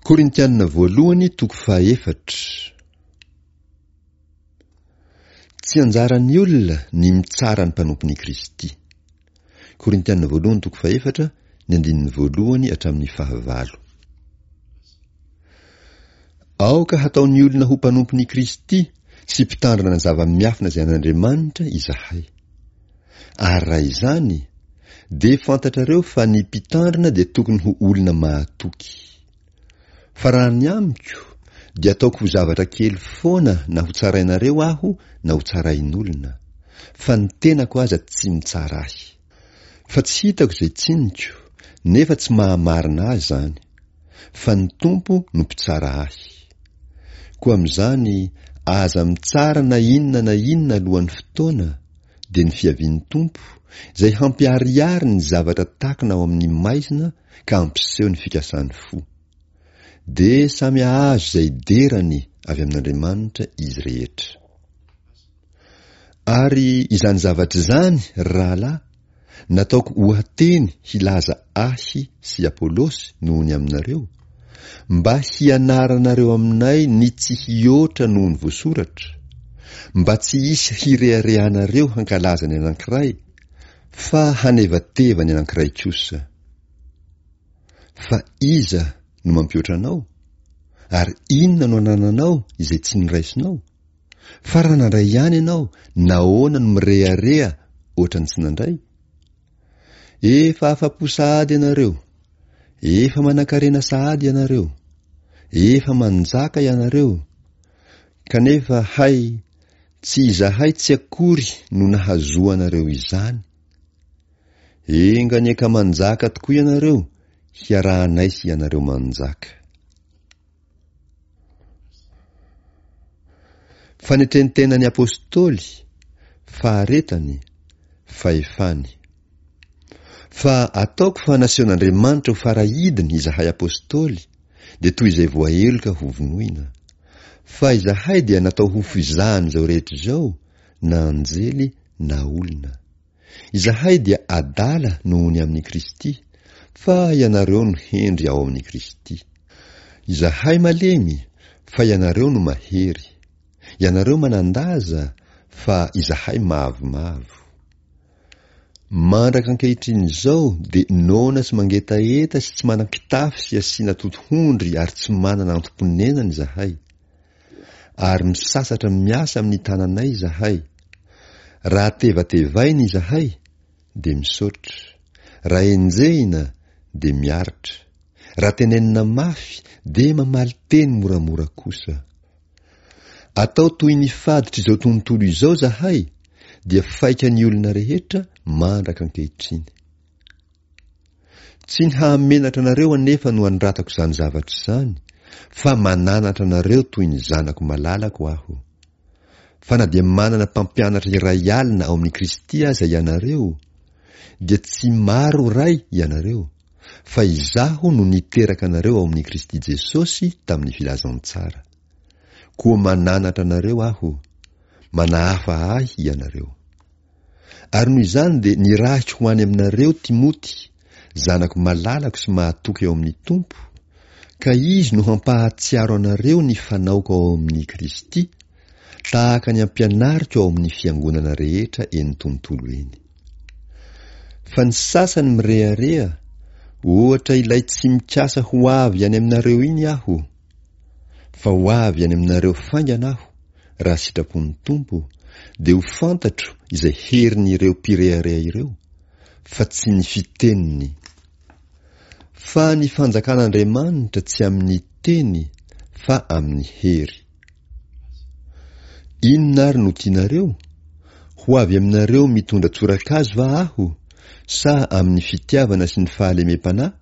Korintiana voalohany toko fahaefatra. Tsy anjaran'ny olona ny mitsara ny mpanompon'i Kristy. Korintiana voalohany toko fahefatra, ny andininy voalohany hatramin'ny fahavalo. Aoka hataon'ny olona ho mpanompon'i Kristy sy mpitandrina ny zava-miafina izay an'Andriamanitra izahay. Ary raha izany, dia fantatrareo fa ny mpitandrina dia tokony ho olona mahatoky. Fa raha ny amiko, dia ataoko ho zavatra kely foana na ho tsarainareo aho na ho tsarain'olona, fa ny tenako aza tsy mitsara ahy. Fa tsy hitako izay tsiniko, nefa tsy mahamarina ahy izany, fa ny Tompo no mpitsara ahy. Koa amin'izany, aza mitsara na inona na inona alohan'ny fotoana, dia ny fiavian'ny Tompo, izay hampiharihary ny zavatra takona ao amin'ny maizina ka hampiseho ny fikasan'ny fo. Dia samy hahazo izay derany avy amin'Andriamanitra izy rehetra. Ary izany zavatra izany, ry rahalahy, nataoko oha-teny hilaza ahy sy Apolosy noho ny aminareo, mba hianaranareo aminay ny tsy hihoatra noho ny voasoratra, mba tsy hisy hireharehanareo hankalaza ny anankiray, fa hanevateva ny anankiray kosa. Fa iza no mampihoatra anao? Ary inona no anananao izay tsy noraisinao? Fa raha nandray ihany ianao, nahoana no mirehareha ohatran'ny tsy nandray? Efa afa-po sahady ianareo! Efa manankarena sahady ianareo! Efa manjaka ianareo! Kanefa hay, tsy izahay tsy akory no nahazoanareo izany. Enga anie ka manjaka tokoa ianareo, hiarahanay sy ianareo manjaka. Fanetren-tenan'ny Apostoly, faharetany, fahefany. Fa ataoko fa nasehon'Andriamanitra ho farahidiny izahay Apostoly, dia toy izay voaheloka hovonoina. Fa izahay dia natao ho fizahan'izao rehetra izao, na anjely na olona. Izahay dia adala noho ny amin'i Kristy, fa ianareo no hendry ao amin'i Kristy. Izahay malemy, fa ianareo no mahery. Ianareo manan-daza, fa izahay mavomavo. Mandraka ankehitriny izao dia noana sy mangetaheta sy tsy manan-kitafy sy asiana totohondry ary tsy manana antom-ponenana izahay. Ary misasatra miasa amin'ny tananay izahay. Raha tevatevaina izahay, dia misaotra. Raha enjehina, dia miaritra. Raha tenenina mafy, dia mamaly teny moramora kosa. Atao toy ny faditr'izao tontolo izao izahay, dia faikan'ny olona rehetra mandraka ankehitriny. Tsy ny hahamenatra anareo anefa no anoratako izany zavatra izany, fa mananatra anareo toy ny zanako malalako aho. Fa na dia manana mpampianatra iray alina ao amin'i Kristy aza ianareo, dia tsy maro ray ianareo, fa izaho no niteraka anareo ao amin'i Kristy Jesosy tamin'ny filazantsara. Koa mananatra anareo aho, manahafa ahy ianareo. Ary noho izany dia nirahiko ho any aminareo Timoty, zanako malalako sy mahatoky ao amin'ny Tompo, ka izy no hampahatsiaro anareo ny fanaoko ao amin'i Kristy, tahaka ny ampianariko ao amin'ny fiangonana rehetra eny tontolo eny. Fa ny sasany mirehareha, ohatra ilay tsy mikasa ho avy any aminareo iny aho, Fa ho avy any aminareo faingana aho, raha sitrapon'ny Tompo, dia ho fantatro izay herin'ireo mpirehareha ireo, fa tsy ny fiteniny. Fa ny fanjakan'Andriamanitra tsy amin'ny teny, fa amin'ny hery. Inona ary no tianareo? Ho avy aminareo mitondra tsorakazo va aho, sa amin'ny fitiavana sy ny fahalemem-panahy?